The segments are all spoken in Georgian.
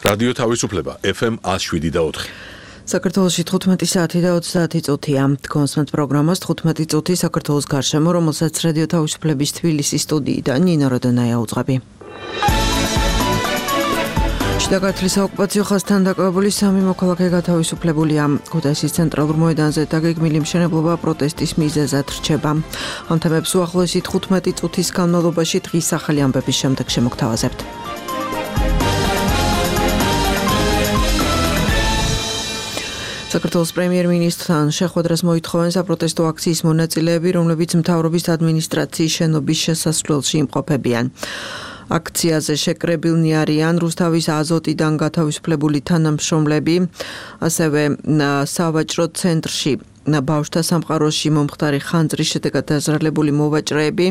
რადიო თავისუფლება FM 107.4. საქართველოში 15 საათი და 30 წუთია. კონსმენთ პროგრამას 15 წუთი საქართველოს გარშემო, რომელსაც რადიო თავისუფლების თბილისის სტუდიიდან ნინო როდონაია უძღვები. შიდაგართლის ოკუპაციო ხაზთან დაკავებული 3 მოქალაქე გათავისუფლებულია. ქუთაისის ცენტრალურ მოედანზე დაგეგმილი მშენებლობა პროტესტის მიზეზად რჩება. ამ თემებს უახლოესი 15 წუთის განმავლობაში დღის ახალი ამბების შემდეგ შემოგთავაზებთ. საქართველოს პრემიერ-მინისტრთან შეხვედრას მოითხოვენ საპროტესტო აქციის მონაწილეები, რომლებიც მთავრობის ადმინისტრაციის შენობის შესასვლელში იმყოფებიან. აქციაზე შეკრებილნი არიან რუსთავის აზოტიდან გათავისუფლებული თანამშრომლები, ასევე სავაჭრო ცენტრში ბავშვთა სამყაროში მომხდარი ხანძრის შედეგად დაზრალებული მოვაჭრეები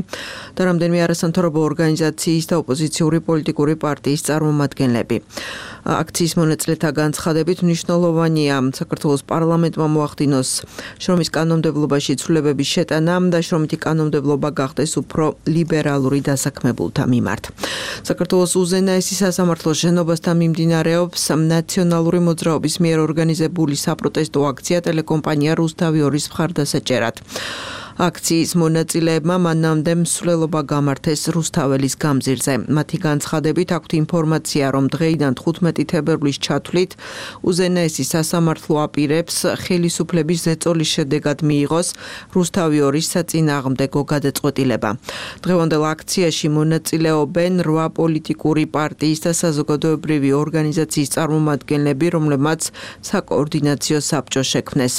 და რამდენიმე არასამთავრობო ორგანიზაციის და ოპოზიციური პოლიტიკური პარტიის წარმომადგენლები. აქციის მონაწილეთა განცხადებით მნიშვნელოვანია საქართველოს პარლამენტმა მოახდინოს შრომის კანონმდებლობაში ცვლილებების შეტანა და შრომითი კანონმდებლობა გახდეს უფრო ლიბერალური დასაქმებულთა მიმართ. საქართველოს უზენაესი სასამართლოს შენობასთან მიმდინარეობს ნაციონალური მოძრაობის მიერ ორგანიზებული საპროტესტო აქცია ტელეკომპანია რუსთავი 2-ის მხარდასაჭერად. აქციის მონაწილეებმა მანამდე მსვლელობა გამართეს რუსთაველის გამზირზე. მათი განცხადებით აქვთ ინფორმაცია, რომ დღეიდან 15 თებერვლის ჩათვლით უზენაესი სასამართლო აპირებს ხელისუფლების ზეწოლის შედეგად მიიღოს რუსთავი 2-ის საწინააღმდეგო გადაწყვეტილება. დღევანდელ აქციაში მონაწილეობენ 8 პოლიტიკური პარტიის და საზოგადოებრივი ორგანიზაციის წარმომადგენლები, რომლებმაც საკოორდინაციო საბჭო შექმნეს.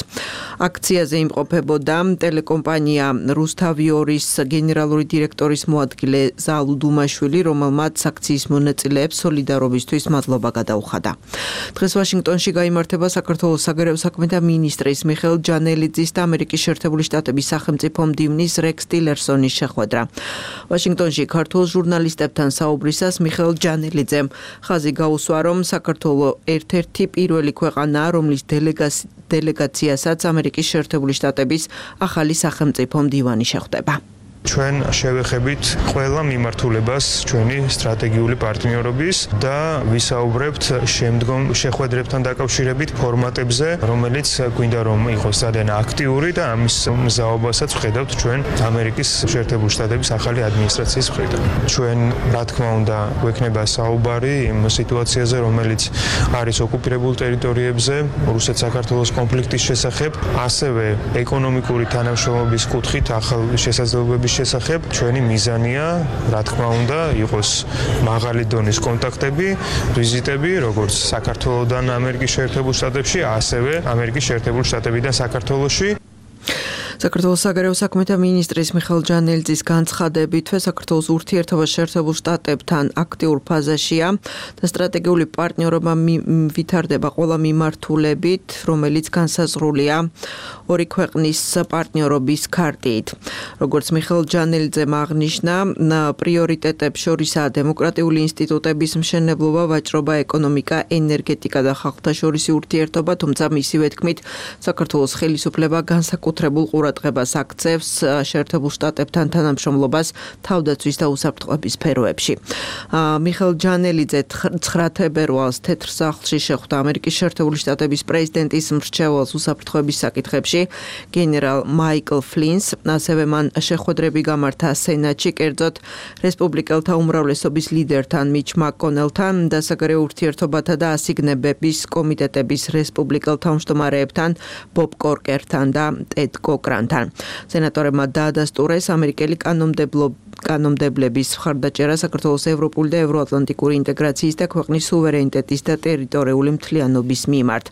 აქციაზე იმყოფებოდა ტელეკომპანია რუსთავი 2-ის გენერალური დირექტორის მოადგილე ზალუ დუმაშვილი, რომელმაც აქციის მონაწილეებს სოლიდარობისთვის მადლობა გადაუხადა. დღეს ვაშინგტონში გაიმართება საქართველოს საგარეო საქმეთა მინისტრის მიხეილ ჯანელიძის და ამერიკის შეერთებული შტატების სახელმწიფო მდივნის რექს ტილერსონის შეხვედრა. ვაშინგტონში ქართულ ჟურნალისტებთან საუბრისას მიხეილ ჯანელიძემ ხაზი გაუსვა, რომ საქართველოს ერთ-ერთი პირველი ქვეყანაა, რომლის დელეგაციასაც ამერიკის შეერთებული შტატების ახალი სახელმწიფო მდივანი შეხვდება. ჩვენ შევეხებით ყველა მიმართულებას ჩვენი სტრატეგიული პარტნიორობის და ვისაუბრებთ შემდგომ შეხვედრებთან დაკავშირებით ფორმატებზე, რომელიც გვინდა რომ იყოს ძალიან აქტიური და ამის მზაობასაც ვხედავთ ჩვენ ამერიკის შეერთებული შტატების ახალი ადმინისტრაციის მხრიდან. ჩვენ რა თქმა უნდა გვექნება საუბარი იმ სიტუაციაზე, რომელიც არის ოკუპირებულ ტერიტორიებზე, რუსეთ-საქართველოს კონფლიქტის შესახებ, ასევე ეკონომიკური თანამშრომლობის კუთხით ახალ შესაძლებლობების შესახებ. ჩვენი მიზანია, რა თქმა უნდა, იყოს მაღალი დონის კონტაქტები, ვიზიტები, როგორც საქართველოსთან ამერიკის შეერთებულ შტატებში, ასევე ამერიკის შეერთებულ შტატებიდან საქართველოში. საქართველოს საგარეო საქმეთა მინისტრის მიხეილ ჯანელიძის განცხადებით, საქართველოს ურთიერთობა შეერთებულ შტატებთან აქტიურ ფაზაშია და სტრატეგიული პარტნიორობა ვითარდება ყველა მიმართულებით, რომელიც განსაზღვრულია 2 ქვეყნის პარტნიორობის ქარტით. როგორც მიხეილ ჯანელიძემ აღნიშნა, პრიორიტეტებს შორისაა დემოკრატიული ინსტიტუტების მშენებლობა, ვაჭრობა, ეკონომიკა, ენერგეტიკა და ხალხთა შორისი ურთიერთობა, თუმცა მისივე თქმით, საქართველოს ხელისუფლება განსაკუთრებულ ყურადღებას აქცევს შეერთებულ შტატებთან თანამშრომლობას თავდაცვის და უსაფრთხოების სფეროებში. მიხეილ ჯანელიძე 9 თებერვალს თეთრ სახლში შეხვდა ამერიკის შეერთებული შტატების პრეზიდენტის მრჩეველს უსაფრთხოების საკითხებში გენერალ მაიკლ ფლინს, ასევე მან შეხვედრები გამართა სენატში, კერძოდ რესპუბლიკელთა უმრავლესობის ლიდერთან მიჩ მაკონელთან და საგარეო ურთიერთობათა და ასიგნებების კომიტეტების რესპუბლიკელ თავმჯდომარეებთან ბობ კორკერთან და ტედ კოკრანთან. სენატორებმა დაადასტურეს ამერიკელი კანონმდებლების მხარდაჭერა საქართველოს ევროპული და ევროატლანტიკური ინტეგრაციის და ქვეყნის სუვერენიტეტის და ტერიტორიული მთლიანობის მიმართ.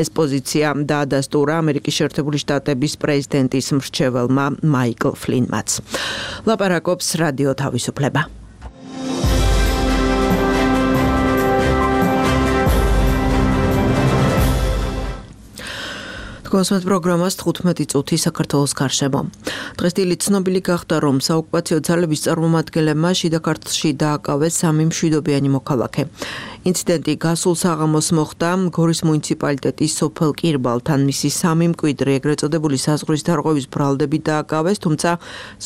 ეს პოზიცია დაადასტურა ამერიკის შეერთებული შტატების პრეზიდენტის მრჩეველმა მაიკლ ფლინმაც. ლაპარაკობს რადიო თავისუფლება. თქვენს პროგრამას 15 წუთი საქართველოს გარშემო. დღეს დილით ცნობილი გახდა, რომ საოკუპაციო ძალების წარმომადგენლებმა შიდა ქართლში დააკავეს 3 მშვიდობიანი მოქალაქე. ინციდენტი გასულ საღამოს მოხდა გორის მუნიციპალიტეტის სოფელ კირბალთან. მისი 3 მკვიდრი, ეგრეთ წოდებული საზღვრის დარღვევის ბრალდები დააკავეს, თუმცა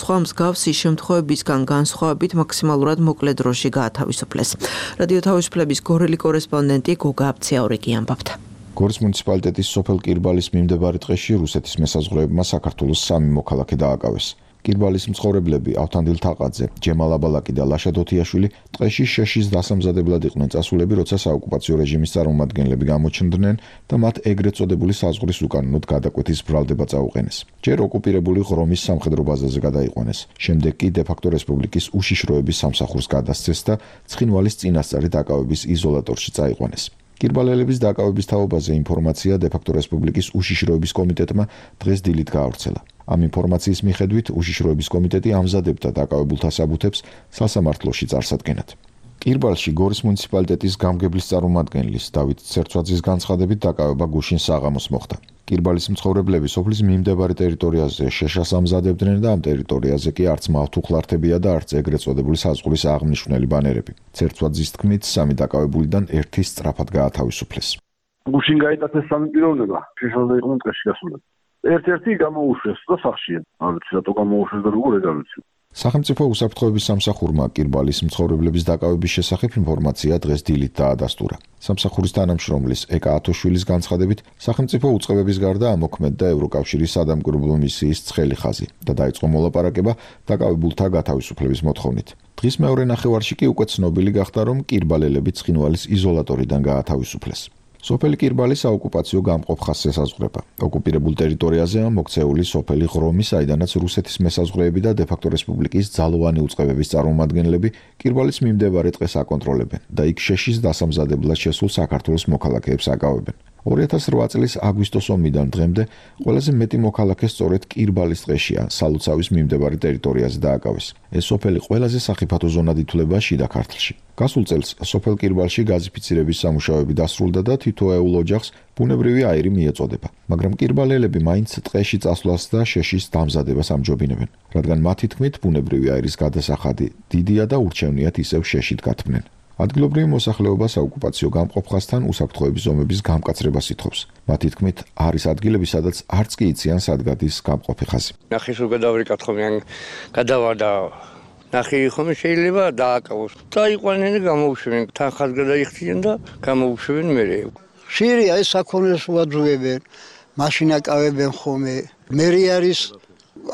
სხვა მსგავსი შემთხვევებისგან განსხვავებით მაქსიმალურად მოკლე დროში გაათავისუფლეს. რადიო თავისუფლების გორელი კორესპონდენტი გოგა აბციაურიკი ამბობდა. გორის მუნიციპალიტეტის სოფელ კირბალის მიმდებარე ტყეში რუსეთის მესაზღვრეებმა საქართველოს 3 მოქალაქე დააკავეს. კირბალის მცხოვრებლები ავთანდილ თაყაძე, ჯემალ აბალაკი და ლაშა დოთიაშვილი ტყეში შეშის დასამზადებლად იყვნენ წასულები, როცა საოკუპაციო რეჟიმის წარმომადგენლები გამოჩნდნენ და მათ ეგრეთ წოდებული საზღვრის უკანონოდ გადაკვეთის ბრალდება წაუყენეს. ჯერ ოკუპირებული ღრომის სამხედრო ბაზაზე გადაიყვანეს. შემდეგ კი დე-ფაქტო რესპუბლიკის უშიშროების სამსახურს გადასცეს და ცხინვალის წინასწარი დაკავების იზოლატორში წაიყვანეს. კირბალელების დაკავების თაობაზე ინფორმაცია დე-ფაქტო რესპუბლიკის უშიშროების კომიტეტმა დღეს დილით გაავრცელა. ამ ინფორმაციის მიხედვით უშიშროების კომიტეტი ამზადებდა დაკავებულთა საბუთებს სასამართლოში წარსადგენად. კირბალში გორის მუნიციპალიტეტის გამგებლის წარმომადგენლის დავით ცერცვაძის განცხადებით დაკავება გუშინ საღამოს მოხდა. კირბალის მცხოვრებლები სოფლის მიმდებარე ტერიტორიაზე შეშას ამზადებდნენ და ამ ტერიტორიაზე კი არც მავთუხლართებია და არც ეგრეთ წოდებული საზღვრის აღმნიშვნელი ბანერები. ცერცვაძის თქმით, 3 დაკავებულიდან 1 სწრაფად გაათავისუფლეს. გუშინ გაიტაცეს 3 პიროვნება, შეშასზე იყვნენ ტყეში გასულები. ერთ-ერთი გამოუშვეს და სახშია. არ ვიცი რატო გამოუშვეს და როგორ ეგავიცი. სახელმწიფო უსაფრთხოების სამსახურმა კირბალის მცხოვრებლების დაკავების შესახებ ინფორმაცია დღეს დილით დაადასტურა. სამსახურის თანამშრომლის ეკა ათოშვილის განცხადებით, სახელმწიფო უწყებების გარდა ამოქმედდა ევროკავშირის სადამკვირვებლო მისიის ცხელი ხაზი და დაიწყო მოლაპარაკება დაკავებულთა გათავისუფლების მოთხოვნით. დღის მეორე ნახევარში კი უკვე ცნობილი გახდა, რომ კირბალელები ცხინვალის იზოლატორიდან გაათავისუფლეს. სოფელი კირბალი საოკუპაციო გამყოფ ხაზს ესაზღვრება. ოკუპირებულ ტერიტორიაზეა მოქცეული სოფელი ღრომი, საიდანაც რუსეთის მესაზღვრეები და დე-ფაქტო რესპუბლიკის ძალოვანი უწყებების წარმომადგენლები კირბალის მიმდებარე ტყეს აკონტროლებენ და იქ შეშის დასამზადებლად შესულ საქართველოს მოქალაქეებს აკავებენ. 2008 წლის აგვისტოს ომიდან დღემდე ყველაზე მეტი მოქალაქე სწორედ კირბალის ტყეშია, სალოცავის მიმდებარე ტერიტორიაზე დააკავეს. ეს სოფელი ყველაზე სახიფათო ზონად ითვლება შიდა ქართლში. გასულ წელს სოფელ კირბალში გაზიფიცირების სამუშაოები დასრულდა და თითოეულ ოჯახს ბუნებრივი აირი მიეწოდება. მაგრამ კირბალელები მაინც ტყეში წასვლას და შეშის დამზადებას ამჯობინებენ, რადგან მათი თქმით ბუნებრივი აირის გადასახადი დიდია და ურჩევნიათ ისევ შეშით გათმნენ. ადგილობრივი მოსახლეობა საოკუპაციო გამყოფ ხაზთან უსაფრთხოების ზომების გამკაცრებას ითხოვს. მათი თქმით, არის ადგილები, სადაც არც კი იციან სად გადის გამყოფი ხაზი. ნახის უგადავრიკად ხომ გადავა და ნახი ხომ შეიძლება დააკავოს. დაიყვანენ და გამოუშვენ, თან ხაზს გადაიხდიან და გამოუშვენ მერე. ხშირია ეს საქონელს უაძუებენ, მაშინ აკავებენ ხოლმე. მერი არის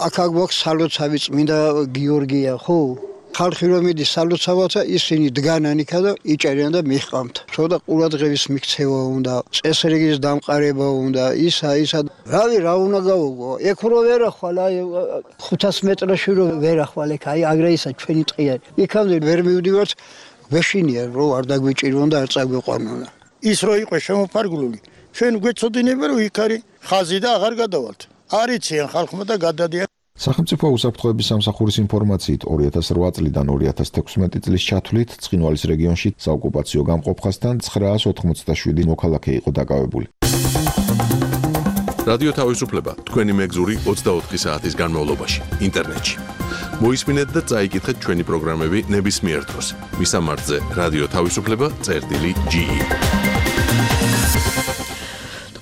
აქ გვაქვს სალოცავი წმინდა გიორგია, ხო? ხალხი რომ მიდის სალოცავათა ისინი დგანან იქა და იჭერიან და მიჰყავთ. ცოტა ყურადღების მიქცევა უნდა, წესრიგის დამყარება უნდა, ისა. რავი, რა უნდა გავუგო? ეგ რო ვერ ახვალ, აი 500 მეტრში რო ვერ ახვალ, აი აგრე ისა ჩვენი ტყია. იქამდე ვერ მივდივართ, ვეშინია რომ არ დაგვიჭირონ და არ წაგვიყვანონ. ის რო იყო შემოფარგლული, ჩვენ გვეცოდინება რომ იქ არის ხაზი და აღარ გადავალთ. არიციან ხალხმა და გადადიან. სახელმწიფო უსაფრთხოების სამსახურის ინფორმაციით 2008 წლიდან 2016 წლის ჩათვლით ცხინვალის რეგიონში საოკუპაციო გამყოფ ხაზთან 987 მოქალაქე იყო დაკავებული. რადიო თავისუფლება თქვენი მეგზური 24 საათის განმავლობაში ინტერნეტში. მოისმინეთ და წაიკითხეთ ჩვენი პროგრამები ნებისმიერ დროს. მისამართზე რადიო თავისუფლება.ge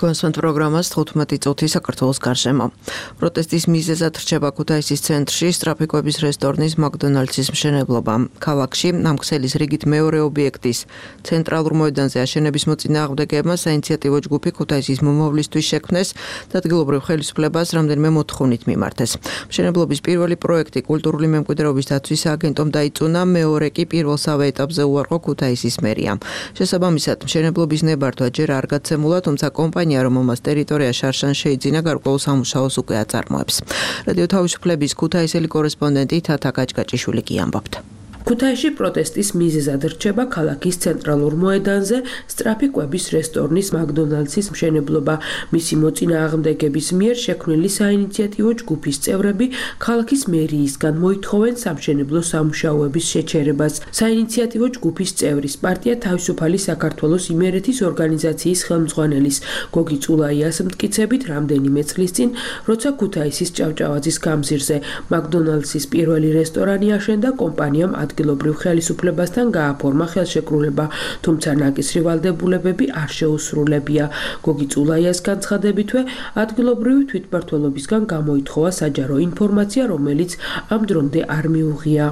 თქვენს პროგრამას 15 წუთი საქართველოს გარშემო. პროტესტის მიზეზად რჩება ქუთაისის ცენტრში სტრაფიკოების რესტორნის მაკდონალდსის მშენებლობა. ქალაქში ამ ქსელის რიგით მეორე ობიექტის ცენტრალურ მოედანზე აშენების მოწინააღმდეგეებმა საინიციატივო ჯგუფი ქუთაისის მომავლისთვის შექმნეს და ადგილობრივ ხელისუფლებას რამდენიმე მოთხოვნით მიმართეს. მშენებლობის პირველი პროექტი კულტურული მემკვიდრეობის დაცვის სააგენტომ დაიწუნა, მეორე კი პირველსავე ეტაპზე უარყო ქუთაისის მერიამ. შესაბამისად, მშენებლობის ნებართვა ჯერ არ გაცემულა, თუმცა კომპანია რომელმაც ტერიტორია შარშან შეიძინა გარკვეულ სამუშაოს უკვე აწარმოებს. რადიო თავისუფლების ქუთაისელი კორესპონდენტი თათა გაჭგაჭიშვილი კი ამბობდა. ქუთაისში პროტესტის მიზეზად რჩება ქალაქის ცენტრალურ მოედანზე სწრაფი კვების რესტორნის მაკდონალდსის მშენებლობა. მისი მოწინააღმდეგების მიერ შექმნილი საინიციატივო ჯგუფის წევრები ქალაქის მერიისგან მოითხოვენ სამშენებლო სამუშაოების შეჩერებას. საინიციატივო ჯგუფის წევრის პარტია თავისუფალი საქართველოს იმერეთის ორგანიზაციის ხელმძღვანელის გოგი წულაიას მტკიცებით რამდენიმე წლის წინ, როცა ქუთაისის ჭავჭავაძის გამზირზე მაკდონალდსის პირველი რესტორანი აშენდა, კომპანიამ ადგილობრივ ხელისუფლებასთან გააფორმა ხელშეკრულება, თუმცა ნაკისრი ვალდებულებები არ შეუსრულებია. გოგი წულაიას განცხადებითვე, ადგილობრივი თვითმმართველობისგან გამოითხოვა საჯარო ინფორმაცია, რომელიც ამ დრომდე არ მიუღია.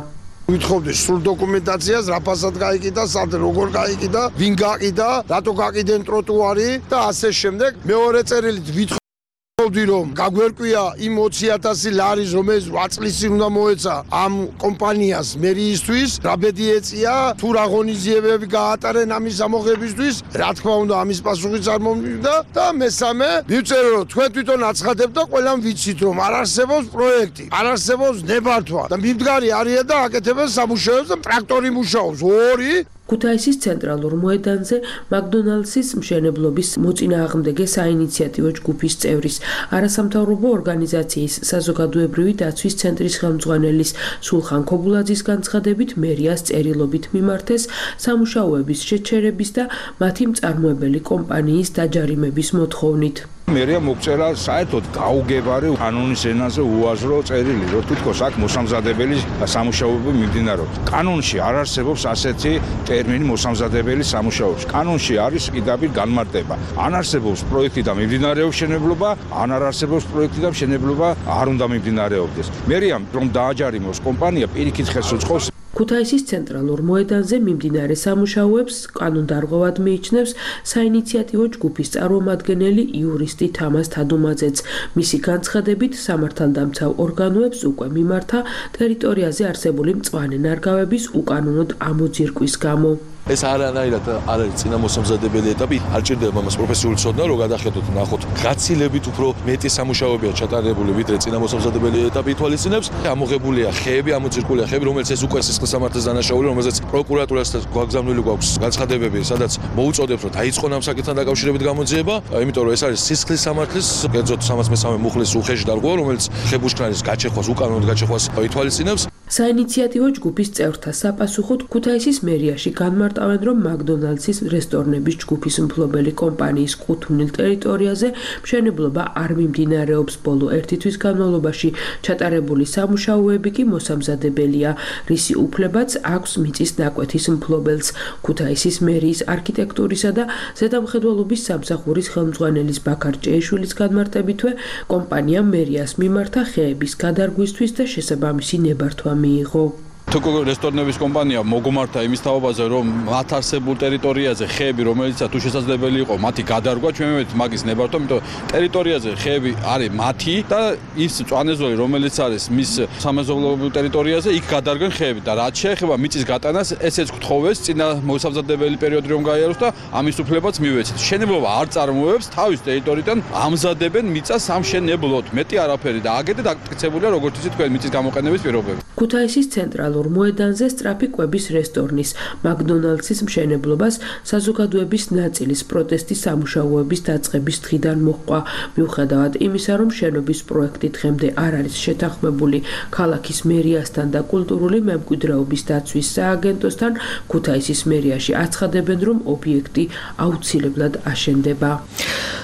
ვითხოვდეს სრულ დოკუმენტაციას, რა ფასად გაიყიდა, სად როგორ გაიყიდა, ვინ გაყიდა, რატო გაყიდენ ტროტუარი და ასე შემდეგ. მეორე წერილით ვითხოვდი რომ გაგვერკვია იმ 20,000 ლარის, რომელიც 8 წლის წინ უნდა მოეცა ამ კომპანიას მერიისთვის, რა ბედი ეწია, თუ რა ღონისძიებები გაატარენ ამის ამოღებისთვის, რა თქმა უნდა ამის პასუხიც არ მომივიდა და მესამე მივწერე რომ თქვენ თვითონ აცხადებთ და ყველამ ვიცით რომ არ არსებობს პროექტი, არ არსებობს ნებართვა და მიმდგარი არიან და აკეთებენ სამუშაოებს და ტრაქტორი მუშაობს ორი. ქუთაისის ცენტრალურ მოედანზე მაკდონალდსის მშენებლობის მოწინააღმდეგე საინიციატივო ჯგუფის წევრის, არასამთავრობო ორგანიზაციის საზოგადოებრივი დაცვის ცენტრის ხელმძღვანელის სულხან ქობულაძის განცხადებით მერიას წერილობით მიმართეს სამუშაოების შეჩერების და მათი მწარმოებელი კომპანიის დაჯარიმების მოთხოვნით. მერია მოგწერა საერთოდ გაუგებარი კანონის ენაზე უაზრო წერილი, რომ თითქოს აქ მოსამზადებელი სამუშაოები მიმდინარეობს. კანონში არ არსებობს ასეთი ტერმინი მოსამზადებელი სამუშაოები. კანონში არის პირდაპირ განმარტება. ან არსებობს პროექტი და მიმდინარეობს მშენებლობა, ან არ არსებობს პროექტი და მშენებლობა არ უნდა მიმდინარეობდეს. მერიამ რომ დააჯარიმოს კომპანია პირიქით ხელს უწყობს. ქუთაისის ცენტრალურ მოედანზე მიმდინარე სამუშაოებს კანონდარღვევად მიიჩნევს საინიციატივო ჯგუფის წარმომადგენელი იურისტი თამას თადუმაძეც. მისი განცხადებით, სამართალდამცავ ორგანოებს უკვე მიმართა ტერიტორიაზე არსებული მწვანე ნარგავების უკანონოდ ამოძირკვის გამო. ეს არანაირად არ არის წინამოსამზადებელი ეტაპი, არ ჭირდება მას პროფესიული ცოდნა, რომ გადახედოთ, ნახოთ, გაცილებით უფრო მეტი სამუშაოებია ჩატარებული, ვიდრე წინამოსამზადებელი ეტაპი ითვალისწინებს. ამოღებულია ხეები, ამოძირკულია ხეები, რომელიც ეს უკვე სისხლის სამართლის დანაშაული, რომელზეც პროკურატურასთან გვაგზავნილი გვაქვს განცხადებები, სადაც მოუწოდებს, რომ დაიწყონ ამ საკითხთან დაკავშირებით გამოძიება, იმიტომ რომ ეს არის სისხლის სამართლის, კერძოდ 313 მუხლის უხეში დარღვევა, რომელიც ხებუშკნარის გაჩეხვას, უკანონოდ გაჩეხვას ითვალისწინებს. საინიციატივო ჯგუფის წევრთა საპასუხოდ ქუთაისის მერიაში განმარტავენ, რომ მაკდონალდსის რესტორნების ჯგუფის მფლობელი კომპანიის კუთვნილ ტერიტორიაზე მშენებლობა არ მიმდინარეობს. ბოლო ერთი თვის განმავლობაში ჩატარებული სამუშაოები კი მოსამზადებელია, რისი უფლებაც აქვს მიწის ნაკვეთის მფლობელს. ქუთაისის მერიის არქიტექტურისა და ზედამხედველობის სამსახურის ხელმძღვანელის ბაქარ ჭეიშვილის განმარტებითვე, კომპანიამ მერიას მიმართა ხეების გადარგვისთვის და შესაბამისი ნებართვა მიიღო. თუკო რესტორნების კომპანია მოგმართა იმის თაობაზე, რომ მათ არსებულ ტერიტორიაზე ხეები, რომელიცაც თუ შესაძლებელი იყო მათი გადარგვა, ჩვენ მივედით მაგის ნებართვა, იმიტომ ტერიტორიაზე ხეები არის მათი და ის მწვანე-ზოლი, რომელიც არის მის სამეზობლოებრივ ტერიტორიაზე, იქ გადარგენ ხეები და რაც შეეხება მიწის გატანას, ესეც გთხოვეს წინა მოსამზადებელი პერიოდი რომ გაიაროს და ამის უფლებაც მივეცით. მშენებლობა არ წარმოებს თავის ტერიტორიიდან ამზადებენ მიწას სამშენებლოდ. მეტი არაფერი და აგეთ დაკეთებულია როგორც იცით თქვენ მიწის გამოყენების პირობები. ქუთაისის ცენტრალურ მოედანზე სწრაფი კვების რესტორნის მაკდონალდსის მშენებლობას საზოგადოების ნაწილის პროტესტის სამუშაოების დაწყების დღიდან მოჰყვა. მიუხედავად იმისა, რომ შენობის პროექტი დღემდე არ არის შეთანხმებული ქალაქის მერიასთან და კულტურული მემკვიდრეობის დაცვის სააგენტოსთან, ქუთაისის მერიაში აცხადებენ, რომ ობიექტი აუცილებლად აშენდება.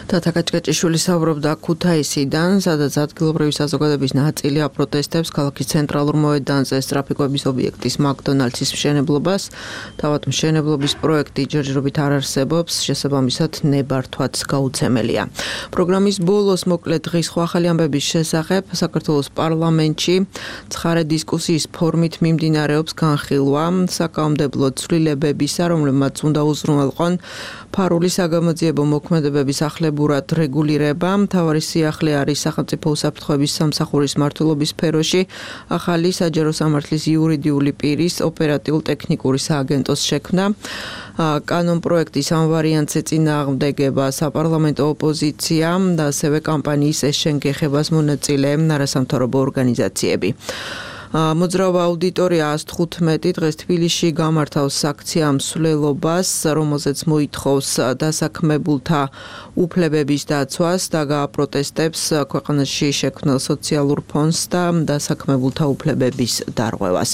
თათა კაჭკაჭიშვილი საუბრობდა ქუთაისიდან, სადაც ადგილობრივი საზოგადოების ნაწილი აპროტესტებს ქალაქის ცენტრალურ მოედანზე სწრაფი კვების ობიექტის მაკდონალდსის მშენებლობას. თავად მშენებლობის პროექტი ჯერჯერობით არ არსებობს, შესაბამისად ნებართვაც გაუცემელია. პროგრამის ბოლოს მოკლე დღის ახალი ამბების შესახებ საქართველოს პარლამენტში ცხარე დისკუსიის ფორმით მიმდინარეობს განხილვა საკანონმდებლო ცვლილებებისა, რომლებმაც უნდა უზრუნველყონ ფარული საგამოძიებო მოქმედებების ახლებურად რეგულირება. მთავარი სიახლე არის სახელმწიფო უსაფრთხოების სამსახურის მმართველობის სფეროში ახალი საჯარო სამართლის იურიდიული პირის ოპერატიულ-ტექნიკური სააგენტოს შექმნა. კანონპროექტის ამ ვარიანტს ეწინააღმდეგება საპარლამენტო ოპოზიცია და ასევე კამპანიის ეს შენ გეხებას მონაწილე არასამთავრობო ორგანიზაციები. მოძრაობა აუდიტორია 115 დღეს თბილისში გამართავს აქცია მსვლელობას, რომელზეც მოითხოვს დასაქმებულთა უფლებების დაცვას და გააპროტესტებს ქვეყანაში შექმნილ სოციალურ ფონდს და დასაქმებულთა უფლებების დარღვევას.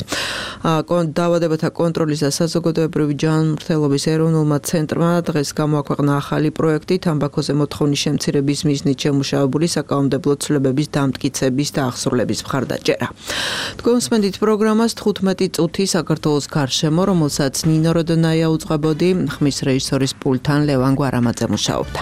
დაავადებათა კონტროლის და საზოგადოებრივი ჯანმრთელობის ეროვნულმა ცენტრმა დღეს გამოაქვეყნა ახალი პროექტი თამბაქოზე მოთხოვნის შემცირების მიზნით შემუშავებული საკანონმდებლო ცვლილებების დამტკიცების და აღსრულების მხარდაჭერა. თქვენსმენდით პროგრამას 15 წუთი საქართველოს გარშემო, რომელსაც ნინო როდონაია უწყებოდი, ხმის რეჟისორის პულტთან ლევან გვარამაძე მუშაობდა.